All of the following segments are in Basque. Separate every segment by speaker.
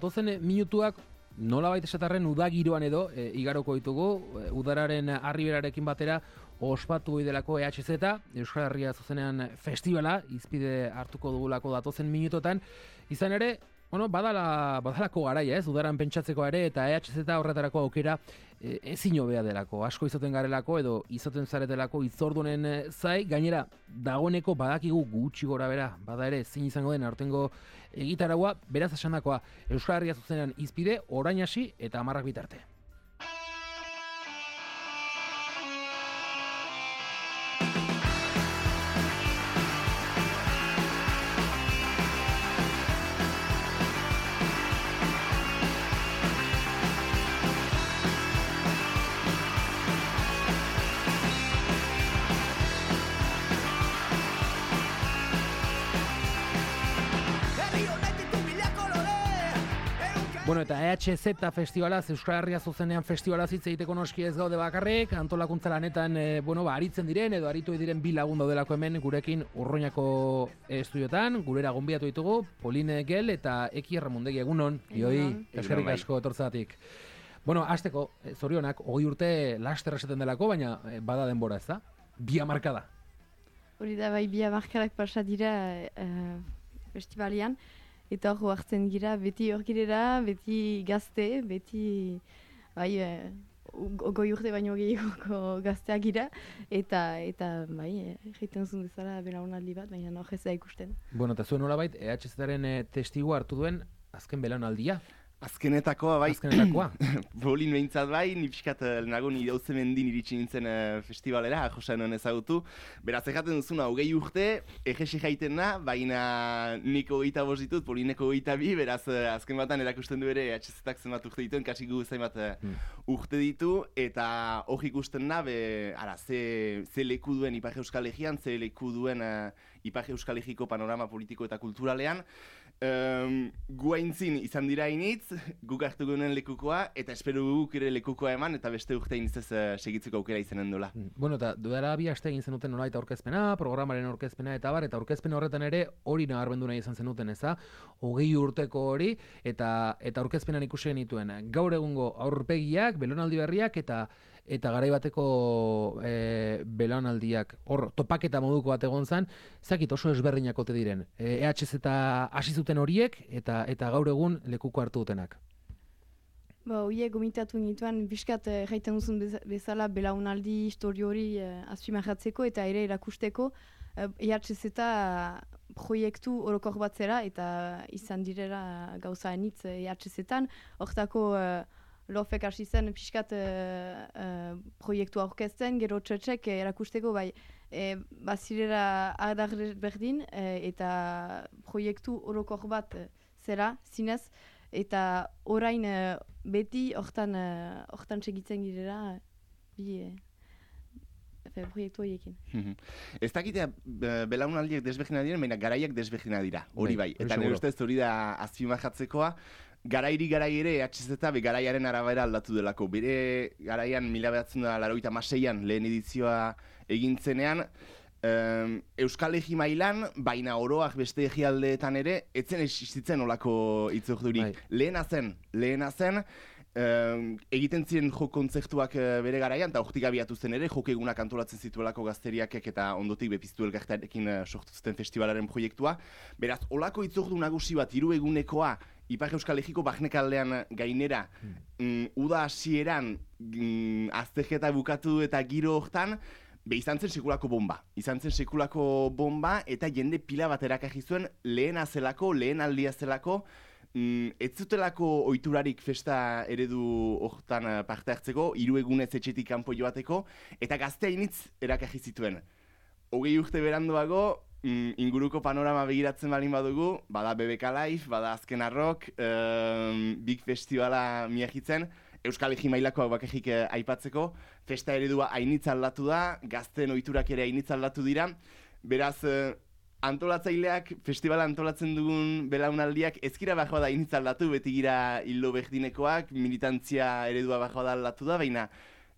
Speaker 1: Datozen minutuak nolabait esatarren udagiroan edo igaroko ditugu, udararen arriberarekin batera ospatu delako EHZ, Euskal Herria zuzenean festivala, izpide hartuko dugulako datozen minutotan, izan ere, badalako garaia, udaran pentsatzeko ere, eta EHZ horretarako aukera ezin hobea delako, asko izaten garelako edo izaten zaretelako itzordunen zai, gainera dagoeneko badakigu gutxi gora bera, bada ere zin izango den aurtengo egitaragua, beraz esandakoa Euskal Herria zuzenean izpide, orain hasi eta 10 bitarte. Bueno, eta EHZ festivalaz, Euskal Herria zuzenean festivalaz hitz egiteko noski ez gaude bakarrik, antolakuntza lanetan aritzen diren edo aritu diren bi lagun daudelako hemen gurekin Urruñako estudiotan, gurera gonbidatu ditugu, Pauline Gel eta Eki Erramundegi, egunon, joi, eskerrik asko etortzatik. Bueno, hasteko, zorionak, 20 urte laster esaten delako, baina bada denbora ez da? Bi hamarkada.
Speaker 2: Hori da, bai, bi hamarkadak pasa dira festivalian. Eta hor hartzen gira, beti hor girera, beti gazte, beti goi urte baino gehiagoko gazteak gira, eta egiten zuen bezala belaunaldi bat, baina hor ez da ikusten.
Speaker 1: Bueno, eta zuen nolabait, EHZ-aren testigu hartu duen azken belaunaldia?
Speaker 3: Azkenetakoa, bai.
Speaker 1: Azkenetakoa.
Speaker 3: Bolin behintzat bai, nipiskat nago nire hauzemendin iritsi nintzen festivalera, josan ezagutu. Beraz, egaten duzuna, 20 urte, egesi jaitena, baina nik 25 ditut, Polineko 22, beraz, azken batan erakusten du ere, EHZ-ak zenbat urte dituen, kasiku zenbat urte ditu, eta hor ikusten da, ze leku duen Ipar Euskal Herrian, ze leku duen Ipar Euskal Herriko panorama politiko eta kulturalean. Guaintzin izan dira initz, guk hartu gunen lekukoa, eta espero guk ere lekukoa eman, eta beste urte initzez segitzeko aukera izanen dola.
Speaker 1: Bueno, eta duela bi aste egin zenuten nolaita aurkezpena, programaren aurkezpena eta bar, eta aurkezpen horretan ere hori nabarmendu nahi izan zenuten, eza? 20 urteko hori, eta aurkezpenan ikusi genituen. Gaur egungo aurpegiak, belaunaldi berriak, eta garaibateko belaunaldiak, hor, topaketa moduko bat egon zen, zakit oso ezberdinak ote diren. EHZ hasi zuten horiek, eta gaur egun lekuko hartu dutenak.
Speaker 2: Horiek gomitatu nituen, biskat jaiten duzun bezala belaunaldi histori hori azpimarratzeko eta ere erakusteko EHZ proiektu orokor bat zera eta izan direla gauza enitz EHZ-etan. Hortako Lofek hasi zen piskat proiektu aurkezten, gero txetxek erakusteko bazirera adar berdin eta proiektu orokor bat zera, zinez, eta orain beti hortan segitzen girela proiektu horiekin.
Speaker 3: Ez dakitea belaunaldiak desberdina diren, baina garaiak desberdina dira, hori bai. Eta nire ustez hori da azpimarratzekoa, garairi ere EHZ garaiaren arabera aldatu delako. Bere garaian 1986an lehen edizioa egintzenean, Euskal Herri mailan, baina oroak beste herrialdeetan ere, etzen existitzen olako itzordurik. Lehena zen, egiten ziren jo kontzertuak bere garaian, eta hortik abiatu zen ere, jok egunak antolatzen zituelako gazteriakek eta ondotik bepiztu elkartarekin sortu zuten festivalaren proiektua. Beraz, olako itzordu nagusi bat, 3 egunekoa, Ipar Euskal Herriko Barnekaldean gainera, uda hasieran azterketa bukatu eta giro hortan, izan zen sekulako bomba, eta jende pila bat erakarri zuen lehen aldia zelako, ez zutelako ohiturarik festa eredu hortan parte hartzeko, 3 egunez etxetik kanpo joateko, eta gaztea initz erakarri zituen. 20 urte beranduago, inguruko panorama begiratzen balin badugu, bada BBK Live, bada Azken Arrok, Big Festivala miagitzen, Euskal Herri mailakoak bakarrik aipatzeko, festa eredua hainitz aldatu da, gazten ohiturak ere hainitz aldatu dira, beraz, antolatzaileak, festivala antolatzen dugun belaunaldiak, ezkira bajoa da hainitz aldatu, beti gira hildo berdinekoak, militantzia eredua bajoa da aldatu da, baina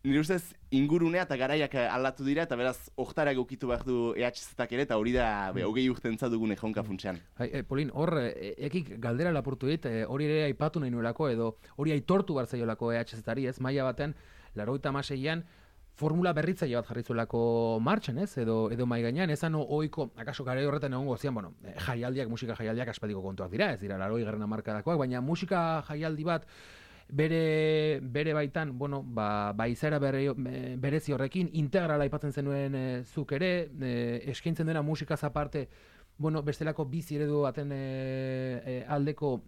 Speaker 3: nire ustez ingurunea eta garaiak aldatu dira, eta beraz, oktara egokitu behar du EHZ-ak ere, eta hori da, 20 urtentza dugun ejonka funtsean.
Speaker 1: Polin, hor, ekik galdera lapurtu dit, hori ere aipatu nahi nuelako, edo hori aitortu behar zaiolako EHZ-ari, ez, maila batean, 86an, formula berritzaile bat jarri zuelako martxan, ez, edo mai gainean, ezan ohiko, akaso garai horretan egongo zian, bueno, musika jaialdiak aspaldiko kontuak dira, ez dira, 80 hamarkadakoak, baina musika jaialdi bat, bere baitan, bueno, izaera berezi horrekin, integrala aipatzen zenuen zuk ere, eskaintzen dena musikaz aparte, bueno, bestelako bizi eredu baten aldeko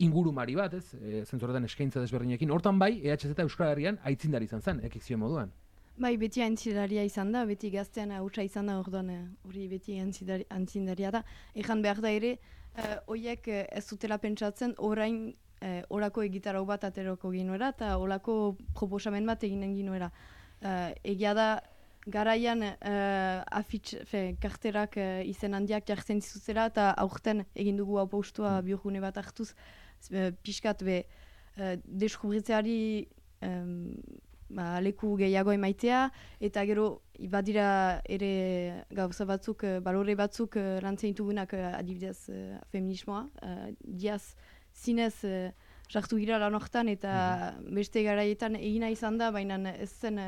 Speaker 1: ingurumari bat, ez? Zentzorretan eskaintza desberdinekin. Hortan bai, EHZ Euskal Herrian aitzindari izan zen, ekizio moduan.
Speaker 2: Bai, beti aintzindaria izan da, beti gaztean hautsa izan da, orduan hori beti aintzindaria da. Ejan behar da ere, horiek ez dutela pentsatzen, orain orako egitarau bat ateroko ginuera, eta orako proposamen bat eginen ginuera. Egia da, garaian karterak izen handiak jartzen zizutera, eta aurten egin dugu hau postua biogune bat hartuz, pixkat deskubritzeari leku gehiago emaitea, eta gero badira ere gauza batzuk, balore batzuk lantzen ditugunak adibidez feminismoa, diaz zinez sartu gira lan hortan, eta beste garaietan egina izan da, baina ez zen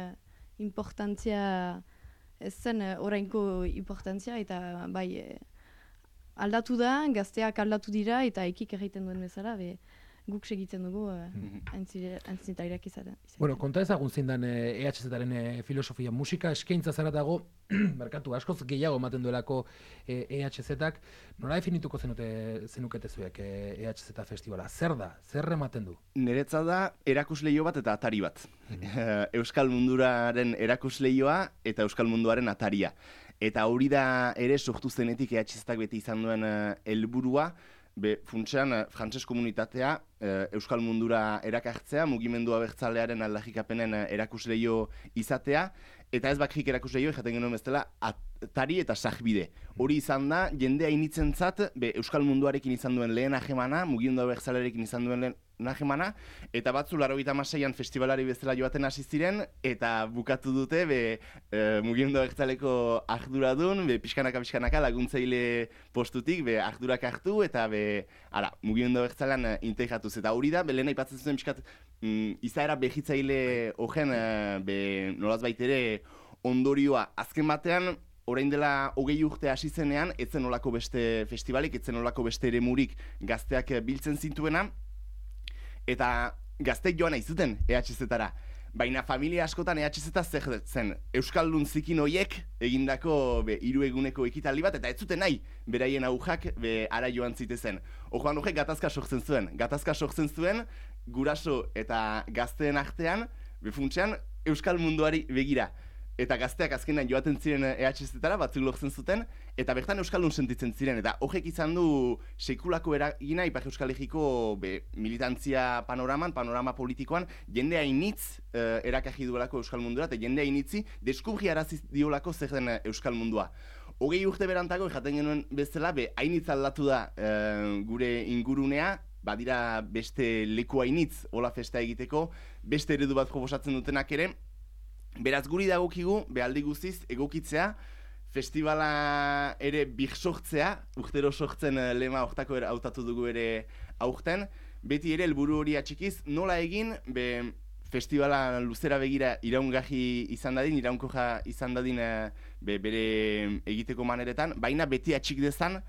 Speaker 2: importantzia, ez zen orainko importantzia, eta bai aldatu da, gazteak aldatu dira, eta ekik egiten duen bezala, guk segitzen dugu antzinetariak izaten.
Speaker 1: Bueno, konta ezagun zindan EHZ-aren filosofia, musika eskaintza zara dago, merkatu askoz gehiago ematen duelako EHZ-ak, nola definituko zenukete zuek EHZ festivala? Zer da? Zer ematen du?
Speaker 3: Niretza da erakusleio bat eta atari bat. Euskal munduraren erakusleioa eta Euskal munduaren ataria. Eta hori da ere sortu zenetik EHZ-ak beti izan duen helburua, funtsean, frantses komunitatea Euskal mundura erakartzea, mugimendu abertzalearen aldarrikapenen erakusleio izatea, eta ez bakrik erakusleio, jaten genuen bezala, atari eta sajbide. Hori izan da, jende hainitzentzat, Euskal munduarekin izan duen lehen ahemana, mugimendu abertzalearekin izan duen lehen ahemana, eta batzu 86an festivalari bezala joaten hasi ziren, eta bukatu dute mugimendu abertzaleko arduradun, pixkanaka laguntzaile postutik, ardurak hartu, eta mugimendu abertzalean integratuz. Eta hori da, lehen aipatzen zuen pixkat izaera behitzaile horren nolaz baitere ondorioa. Azken batean, orain dela 20 urte hasi zenean, etzen olako beste festivalik, etzen olako beste eremurik gazteak biltzen zintuena, eta gazteik joan nahi zuten EHZ-tara. Baina familia askotan EHZ-a zer zen, Euskaldun zikin hoiek egindako 3 eguneko ekitaldi bat, eta ez zuten nahi beraien aujak ara joan zitezen. Ojoan horrek gatazka sortzen zuen, guraso eta gazteen artean, funtsean Euskal munduari begira. Eta gazteak azkenan joaten ziren EHZ-tara, batzuk lortzen zuten, eta bertan Euskaldun sentitzen ziren. Eta horrek izan du sekulako eragina Ipar Euskal Herriko militantzia panorama politikoan, jende hainitz erakarri duelako Euskal mundura, eta jende hainitzi deskubri arazi diolako zer den Euskal mundua. 20 urte berantago, jaten genuen bezala, hainitz aldatu da gure ingurunea, badira beste leku hainitz hola festa egiteko, beste eredu bat proposatzen dutenak ere. Beraz guri dagokigu, aldi guztiz, egokitzea, festivala ere sortzea, urtero sortzen lema hortako hautatu dugu ere aurten, beti ere helburu hori atxikiz, nola egin, festivala luzera begira iraungarri izan dadin, iraunkoja izan dadin bere egiteko maneretan, baina beti atxik dezan,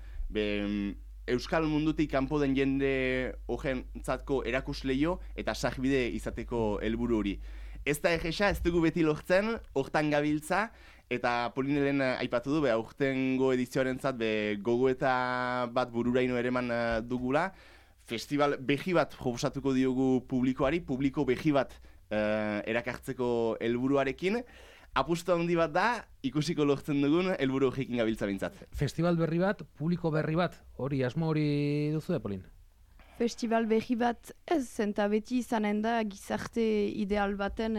Speaker 3: Euskal mundutik kanpo den jende horrentzatko erakusleio eta sajbide izateko helburu hori. Ez da egesa, ez dugu beti lortzen, hortan gabiltza, eta Polinelen aipatu du, aurtengo edizioarentzat gogoeta bat bururaino ereman dugula, festival behi bat proposatuko diogu publikoari, publiko behi bat erakartzeko helburuarekin, apustu handi bat da, ikusiko lortzen dugun helburu horrekin gabiltza bintzat.
Speaker 1: Festival berri bat, publiko berri bat, hori asmo hori duzu Polin?
Speaker 2: Festival berri bat ez, eta beti izanen da gizarte ideal baten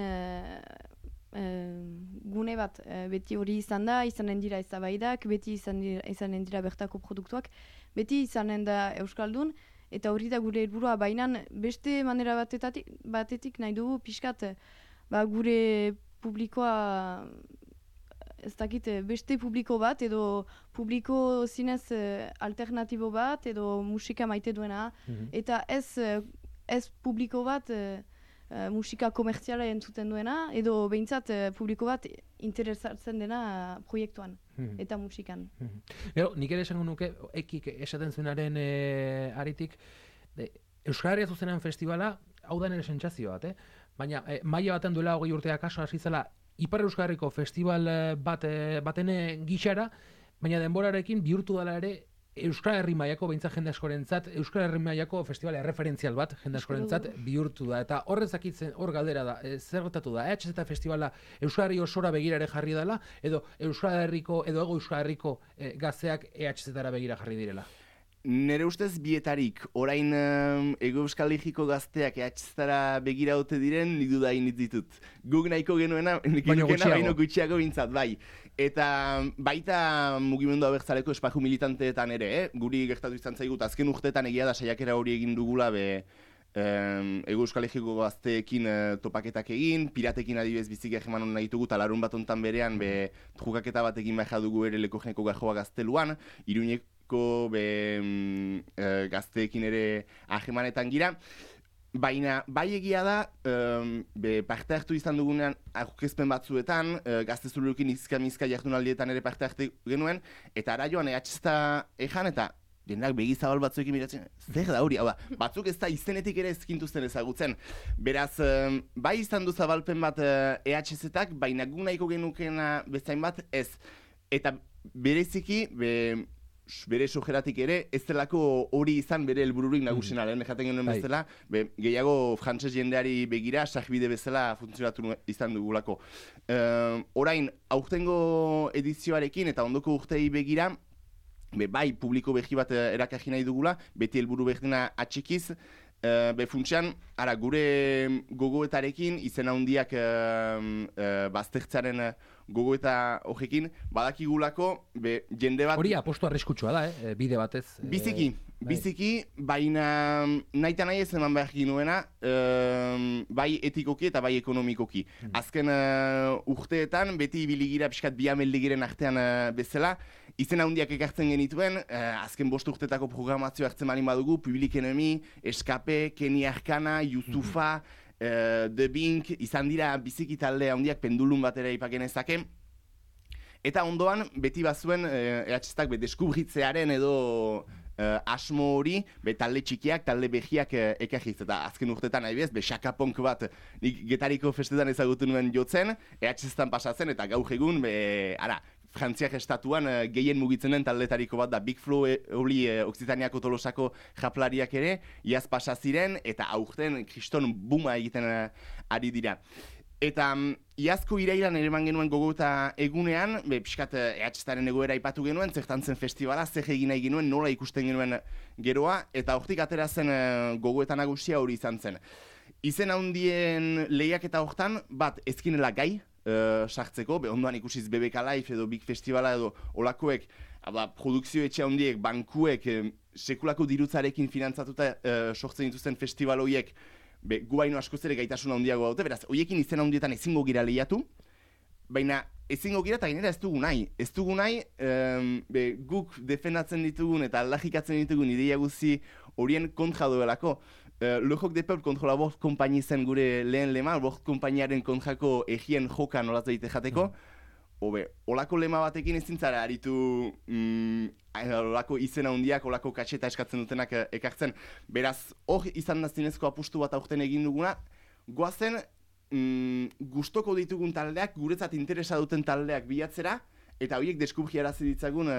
Speaker 2: gune bat. Beti hori izan da, izanen dira eztabaidak, beti izanen dira bertako produktuak, beti izanen da Euskaldun, eta hori da gure helburua, baina beste manera batetik nahi dugu pixkat gure publikoa ez dakit beste publiko bat edo publiko zinez alternatibo bat edo musika maite duena eta ez publiko bat musika komertziala entzuten duena edo behintzat publiko bat interesatzen dena proiektuan eta musikan.
Speaker 1: Gero, nik ere esango nuke, ekik esaten zuenaren aritik, Euskal Herria Zuzenean festivala, hau da nire sentsazio bat, baina maila baten duela 20 urteak kaso hasi zela Ipar Euskal Herriko festival baten gixara, baina denborarekin bihurtu dela ere Euskal Herri mailako behintzat jende askorentzat, Euskal Herri mailako festival erreferentzial bat jende askorentzat bihurtu da. Eta horrez zakitzen, hor galdera da, zer gertatu da, EHZ festivala Euskal Herri osora begirare jarri dela, edo Euskal Herriko, edo Hego Euskal Herriko gazteak EHZ-tara begira jarri direla?
Speaker 3: Nere ustez bietarik, orain Hego Euskal Herriko gazteak EHZ-tara begira ote diren, nik dudain ditut. Guk nahiko genuena, baino gutxiago bintzat, bai. Eta baita mugimendu abertzaleko espaju militanteetan ere, guri gertatu izan zaigut, azken urteetan egia da saiakera hori egin dugula Hego Euskal Herriko gazteekin topaketak egin, piratekin adibidez bizik egeman hona ditugu, talarun bat ontan berean trukaketa bat egin baina dugu ere Lekojeneko Gajoa Gazteluan, Iruñeko gazteekin ere ahemanetan gira. Baina, bai egia da, parte hartu izan dugunean aurkezpen batzuetan, gaztezurukin izka-mizka jardunaldietan ere parte hartu genuen, eta ara joan EHZ ejan eta jendeak begizabal batzuekin miratzen, zer da hori, hau da, batzuk ez da izenetik ere ezkintuzten ezagutzen. Beraz, bai izan du zabalpen bat EHZ-ak, baina gu nahiko genukena bezain bat ez. Eta bereziki, bere sojeratik ere, ez delako hori izan bere helbururik nagusena, lehen jaten genuen bezala, gehiago frantses jendeari begira, sarbide bezala funtzionatu izan dugulako. Orain, aurtengo edizioarekin eta ondoko urtei begira, bai, publiko behi bat erakagi nahi dugula, beti helburu berdina atxikiz, funtsean, gure gogoetarekin, izen handiak baztertzaren gogoeta horrekin, badakigulako, jende bat...
Speaker 1: Hori apostu arriskutsua da, bide batez.
Speaker 3: Biziki, baina nahi eta nahi ez eman behar ginuena, bai etikoki eta bai ekonomikoki. Azken urteetan, beti biligira pixkat biameldigiren artean bezala, izen handiak ekartzen genituen, azken 5 urtetako programazio hartzen malin badugu, Public Enemy, Escape, Kenny Arcana, Yusufa, The Bink, izan dira biziki talde handiak pendulun batera ipagenezake. Eta ondoan, beti bazuen, EHZ-ak deskubritzearen edo asmo hori, talde txikiak, talde behiak ekarriz. Eta azken urtetan, adibidez, xakapunk bat nik Getariko festetan ezagutu nuen jotzen, EHZ-tan pasatzen, eta gaur egun, Frantziak estatuan gehien mugitzen den taldetariko bat da Big Flow Occitaniako Tolosako japlariak ere, iaz pasa ziren eta aurten kriston buma egiten ari dira. Eta iazko irailan ere eman genuen gogoeta egunean, pixkat EHZ-aren egoera aipatu genuen, zertan zen festivala, zer egin nahi genuen, nola ikusten genuen geroa, eta hortik atera zen gogoeta nagusia hori izan zen. Izen handien lehiak eta hortan, bat ezkinela gai, sartzeko, ondoan ikusiz BBK Live edo Big Festivala edo olakoek, produkzio etxe handiek, bankuek, sekulako dirutzarekin finantzatuta sortzen dituzten festival horiek, gu baino askoz ere gaitasun handiago daute, beraz, horiekin izen handietan ezingo gira lehiatu, baina ezingo gira eta gainera ez dugu nahi. Ez dugu nahi, guk defendatzen ditugun eta aldajikatzen ditugun ideia guzti horien kontra duelako. Le Joc de Peuple kontrola 5 konpaini zen gure lehen lema, 5 konpainiaren kontrako egien joka nolatu daite jateko. Olako lema batekin ezin zara aritu olako izen handiak, olako katxeta eskatzen dutenak ekartzen. Beraz, hor izan da zinezko apustu bat aurten egin duguna, goazen gustoko ditugun taldeak, guretzat interesa duten taldeak bilatzera, eta horiek deskubriarazi ditzagun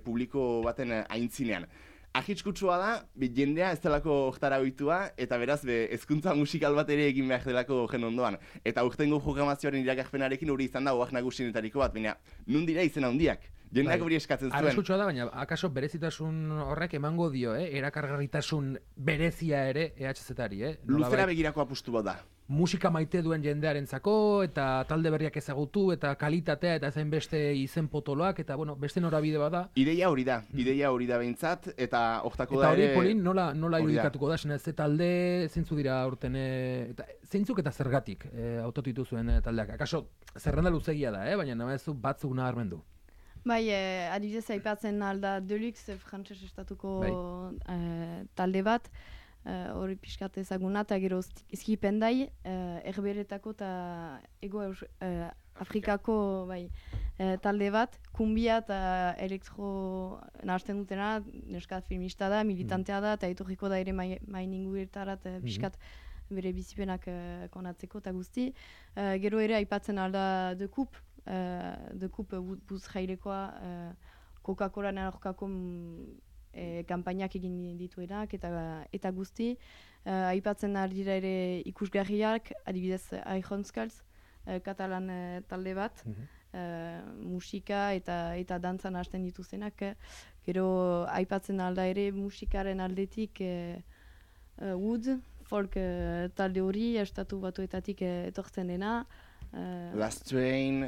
Speaker 3: publiko baten aintzinean. Ahitskutsua da, jendea ez delako oktara ohitua, eta beraz, hezkuntza musikal bat ere egin behar delako gen ondoan. Eta urtengo programazioaren iragarpenarekin hori izan da oak nagusienetariko bat, baina nun dira izen handiak. Jendeak hori eskatzen zuen.
Speaker 1: Arriskutsua da, baina akaso berezitasun horrek emango dio, erakargarritasun berezia ere EHZ-ari,
Speaker 3: Luzera begirako apustu bat da.
Speaker 1: musika maite duen jendearentzako eta talde berriak ezagutu eta kalitatea eta zain beste izen potoloak eta bueno, beste norabide bada.
Speaker 3: Ideia hori da behintzat eta hortako
Speaker 1: da ere.
Speaker 3: Eta
Speaker 1: hori Polin nola irudikatuko da, ze talde zeintzu dira aurten eta zeintzuk eta zergatik hautatu dituzuen taldeak. Akaso zerrenda luzegia da, baina nabazu batzuk nabarmendu.
Speaker 2: Bai, adibidez aipatzen alda Deluxe frantses estatuko talde bat, hori pixkat ezaguna, eta gero Skipendai, Herberetako eta Ego Afrikako talde bat, kumbia eta elektro nahazten dutena, neskat filmista da, militantea da, eta etorriko da ere main inguetarat pixkat bere bizipenak konatzeko eta guzti. Gero ere aipatzen alda The Coup buz jairekoa Coca-Cola narokako kampainak egin dituenak eta guzti. Aipatzen dira ere ikusgarriak, adibidez Aijonskals, katalan talde bat, musika eta dantzan hasten dituztenak. Gero aipatzen alda ere musikaren aldetik Wood, folk talde hori, estatu batuetatik etortzen dena.
Speaker 3: Last Train,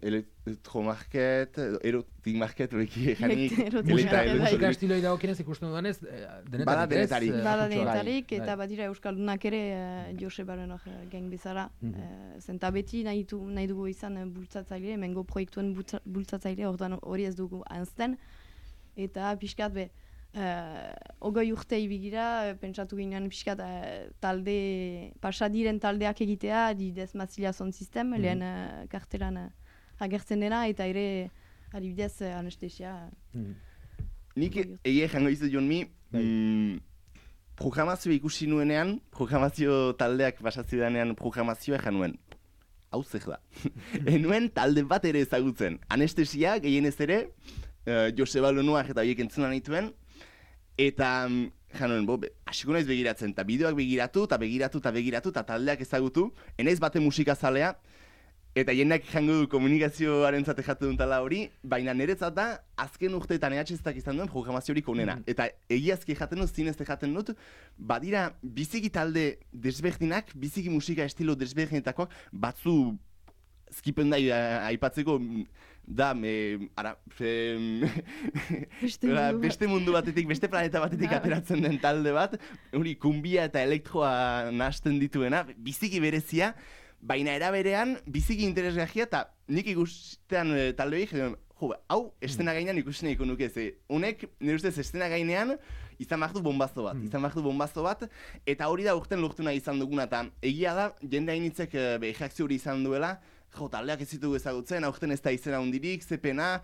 Speaker 3: Electromarket, Erotic Market,
Speaker 1: musika estiloi dagokienez ikusten dudanez, denetarik.
Speaker 2: Bada denetarik, eta badira Euskaldunak ere Josebaren geng bezala. Zenta beti nahi dugu izan bultzatzaile, hemengo proiektuen bultzatzaile, hori ez dugu anzten. Eta pixkat ogoi urte ibigira, pentsatu ginean pixkat talde, pasadiren taldeak egitea, adibidez Massilia Sound System, lehen kartelan agertzen dena, eta ere adibidez anestesia.
Speaker 3: Nik egia jango izu Jonmi, programazioa ikusi nuenean, programazio taldeak basatzi danean programazioa januen. Hau zer da. Enuen talde bat ere ezagutzen. Anestesia, gehienez ere, Joseba Lonoak eta horiek entzunan dituen, eta januen, hasiko naiz begiratzen, eta bideoak begiratu, eta taldeak ezagutu, enaiz bate musikazalea, eta jendeak jango du komunikazioaren zate jatu duen tala hori, baina niretzat da, azken urteetan EHZ-ak izan duen programaziorik onena. Eta egiazki jaten dut, zinezte jaten dut, badira biziki talde desberdinak, biziki musika estilo desberdinetakoak, batzu Skipendai aipatzeko, da, beste mundu batetik, beste planeta batetik ateratzen den talde bat, hori kumbia eta elektroa nahasten dituena, biziki berezia, baina eraberean biziki interesgarria eta nik ikustean talde hori, hau estena gainean ikusten nahiko nuke, honek nire ustez estena gainean izan behar du bombazo bat, eta hori da urten lortu nahi izan duguna, eta egia da, jende hainitzek reakzio hori izan duela, taldeak ez ditugu ezagutzen, aurten ez da izena hundirik, zepena,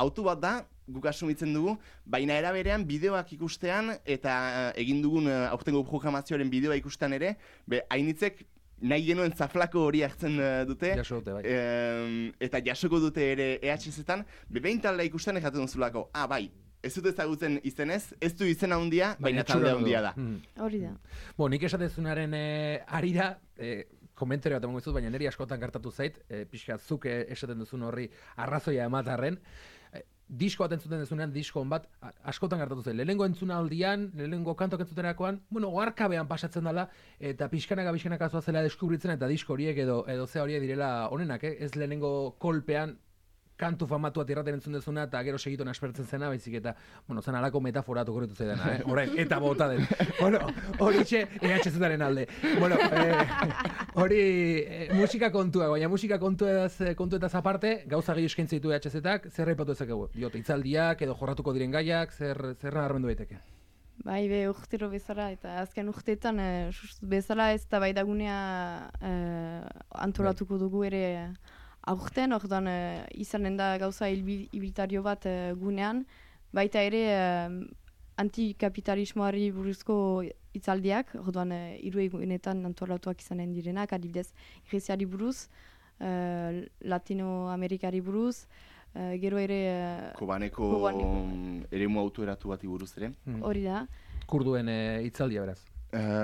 Speaker 3: autu bat da, guk asumitzen dugu, baina eraberean bideoak ikustean, eta egin dugun aurtengo programazioaren bideoa ikustean ere, hainitzek nahi genuen zaflako hori hartzen dute, eta jasoko dute ere EHZ-etan, behin taldea ikusten ekaten duzulako, bai, ez dut ezagutzen izenez, ez du izena handia, baina taldea handia da.
Speaker 2: Hori da.
Speaker 1: Nik esatezunaren arira, komentarioa eta mongo baina niri askotan gertatu zait, pixka zuk esaten duzun horri arrazoia ematarren, disko bat entzuten dezunean, disko bat askotan gertatu zait. Lehenengo entzunaldian, lehenengo kantok entzuterakoan, oharkabean pasatzen dela, eta pixkanaka zoazela deskubritzen, eta disko horiek edo ze horiek direla onenak, ez lehenengo kolpean, kantu famatu bat irraten entzun dezuna, eta gero segituen aspertzen zena, baizik eta, zen alako metaforatu korretu zaidana, orain, eta bota den. Hori txe, EHZ-aren alde. Hori musika kontua, baina musika kontuetaz aparte, gauza gehi eskaintza ditu EHZ-ak, zer raipatu ezakegu? Itzaldiak, edo jorratuko diren gaiak, zer nabarmendu daiteke?
Speaker 2: Bai, urtero bezala, eta azken urteetan bezala ez da bai dagunea antolatuko dugu ere aurten, orduan izanen da gauza ibiltario bat gunean, baita ere antikapitalismoari buruzko hitzaldiak, orduan hiru egunetan antolatuak izanen direnak, adibidez Greziari buruz, Latinoamerikari buruz, gero ere
Speaker 3: Kobaneko eremu autoeratu bati buruz ere.
Speaker 2: Hori da.
Speaker 1: Kurduen hitzaldia beraz.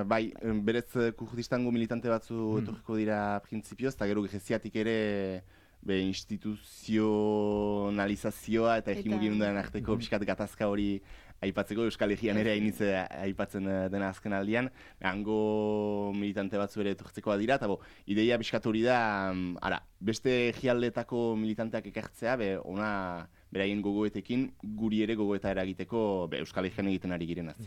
Speaker 3: Bai, berez kurdistango militante batzu etorriko dira printzipioz, eta gero Greziatik ere instituzionalizazioa eta hegemonien arteko pixkat gatazka hori aipatzeko, Euskal Herrian ere hainitze aipatzen dena azken aldian, hango militante batzu ere etortzekoa dira, eta ideia pixkat hori da, beste herrialdetako militanteak ekartzea, ona beraien gogoetekin, guri ere gogoeta eragiteko Euskal Herrian egiten ari girenaz.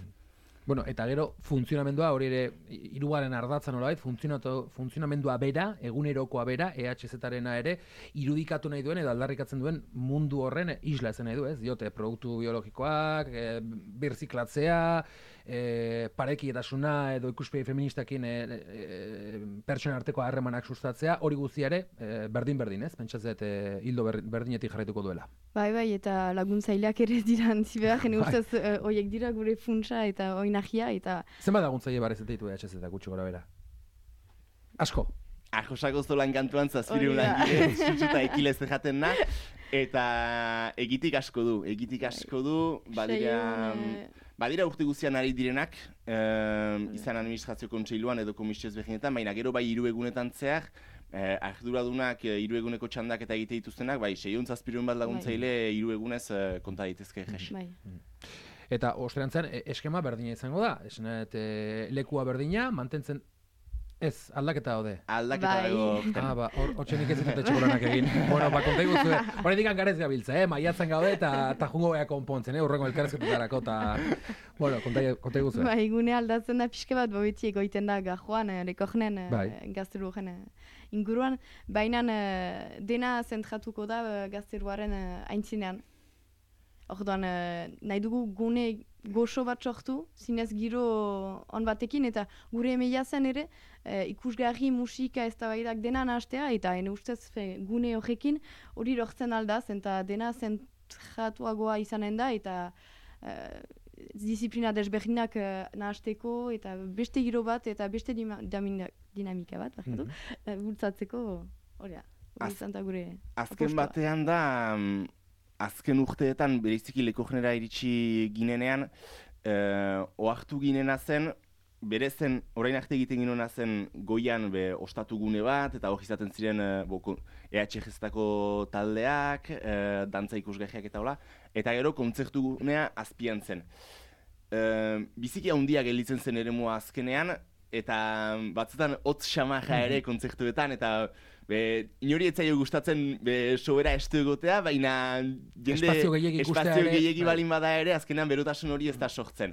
Speaker 1: Bueno, eta gero, funtzionamendua, hori ere, hirugarren ardatza nolabait, funtzionamendua bera, egunerokoa bera, EHZ-arena ere, irudikatu nahi duen edo aldarrikatzen duen mundu horren isla ezen nahi du, ez? Diote, produktu biologikoak, birziklatzea, parekietasuna edo ikuspegi feministakin pertsona arteko harremanak sustatzea, hori guztiare berdin-berdin, ez? Pentsatzet hildo berdinetik jarraituko duela.
Speaker 2: Bai, eta laguntzaileak ere dira antzi behar, jene ustez horiek dira gure funtsa eta oinagia, eta...
Speaker 1: Zenbat laguntzaile barrezetea ditu EHZ eta gutxi gora bera? Asko?
Speaker 3: Arjosako zolan kantuan zazpireun langile, zutsuta ekilez jaten na, eta egitik asko du, badira urte guztian ari direnak, izan administrazio kontseiluan edo komisioz behinetan, baina gero bai 3 egunetan zehar, arduradunak 3 eguneko txandak eta egite dituztenak, bai 600-700 bat laguntzaile 3 egunez konta daitezke jes.
Speaker 1: Eta ostreantzen eskema berdina izango da, esanet lekua berdina, mantentzen ez, aldaketa daude.
Speaker 3: Aldaketa dago.
Speaker 1: Hortxe nik ez ditut etxekolanak egin. Bueno, konta iguzue, horretik garez gabiltza, maiatzen gaude eta jungo beha konpontzen, horrengo elkarrezketetarako, eta, bueno, konta iguzue.
Speaker 2: Bai, gune aldatzen da pixke bat, bobetzi egoiten da gajoan, rekognen, gazteruaren inguruan, baina dena zentratuko da gazteruaren aintzinean. Orduan, nahi dugu gune goxo bat sortu, zinez giro on batekin, eta gure emeia zen ere, ikusgarri, musika, eztabaidak dena nahastea, eta ene ustez gune horrekin hori lortzen aldaz, eta dena zentratuagoa izanen da, eta disiplina desberdinak nahasteko, eta beste giro bat, eta beste dinamika bat, bultzatzeko, hori da, gure
Speaker 3: azken batean da, azken urteetan, bereziki Lekogenera iritsi ginenean, ohartu ginena zen, bere zen, orain arte egiten ginena zen goian ostatu gune bat, eta hori izaten ziren EHZ-etako taldeak, dantza ikusgahiak eta hola, eta gero kontzertu gunea azpian zen. Biziki handia gelditzen zen eremua azkenean, eta batzutan hotz xamaja ere kontzertuetan, eta inori etzaio gustatzen sobera estu egotea, baina
Speaker 1: espazio
Speaker 3: gehiegi balin bada ere, azkenean berotasun hori ez da sortzen.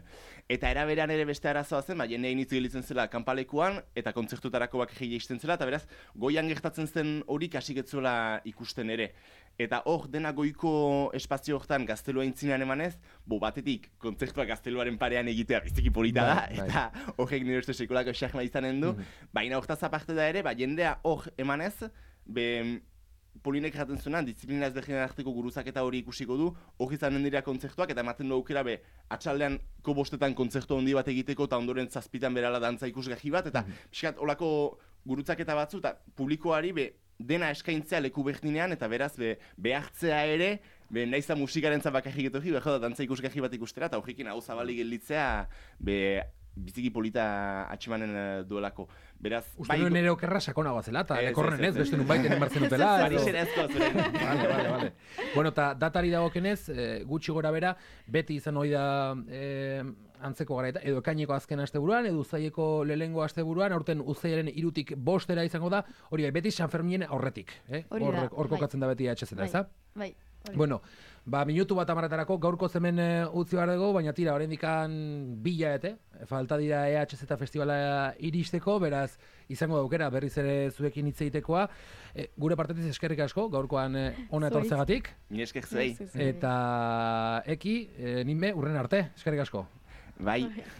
Speaker 3: Eta eraberean ere beste arazoa zen, jende hainitz gelitzen zela kanpalekuan, eta kontzertutarako bak egin izten zela, eta beraz, goian gertatzen zen hori kasiketzula ikusten ere. Eta hor, dena goiko espazio hortan gaztelua intzinean emanez, batetik kontzertua gazteluaren parean egitea biziki polita da, eta horrek nire uste sekulako xahma izanen du, baina hortaz aparte da ere, jendea hor emanez, Polinek jaten zuenan, disiplina ezberdinen arteko guruzaketa hori ikusiko du, hori izanen dira kontzertuak, eta ematen du aukera atxaldean bostetan kontzertu handi bat egiteko, eta ondoren 7 berala dantza ikusgahi bat, eta pixkat olako gurutzaketa batzu, eta publikoari dena eskaintzea leku berdinean, eta beraz behartzea ere, nahiza musikaren bakarrik etorri, da dantza ikusgahi bat ikustera, eta horrekin hau zabalik gelditzea, biziki polita atximanen duelako. Beraz,
Speaker 1: uste nuen ere okerra sakonagoa zela, eta lekorren ez, beste nun baiten enbartzen dutela.
Speaker 3: Parisera ezko, zuren.
Speaker 1: Vale. Bueno, eta datari dagokenez, gutxi gora bera, beti izan hori da antzeko gara, edo ekaineko azken asteburuan, edo uztaileko lehengo asteburuan, aurten uztailaren 3tik 5 izango da, hori beti San Ferminen aurretik. Hor kokatzen da beti EHZ-eta, ez da?
Speaker 2: Bai.
Speaker 1: Bueno, minutu bat amaretarako gaurko zemen utzi behar dugu, baina tira, oraindikan 2 falta dira EHZ festivala iristeko, beraz, izango daukera berriz ere zuekin hitz egitekoa. Gure partetik eskerrik asko, gaurkoan ona etortzegatik.
Speaker 3: Ni esker zuei.
Speaker 1: Eta Eki, ninbe, urren arte, eskerrik asko.
Speaker 3: Bai.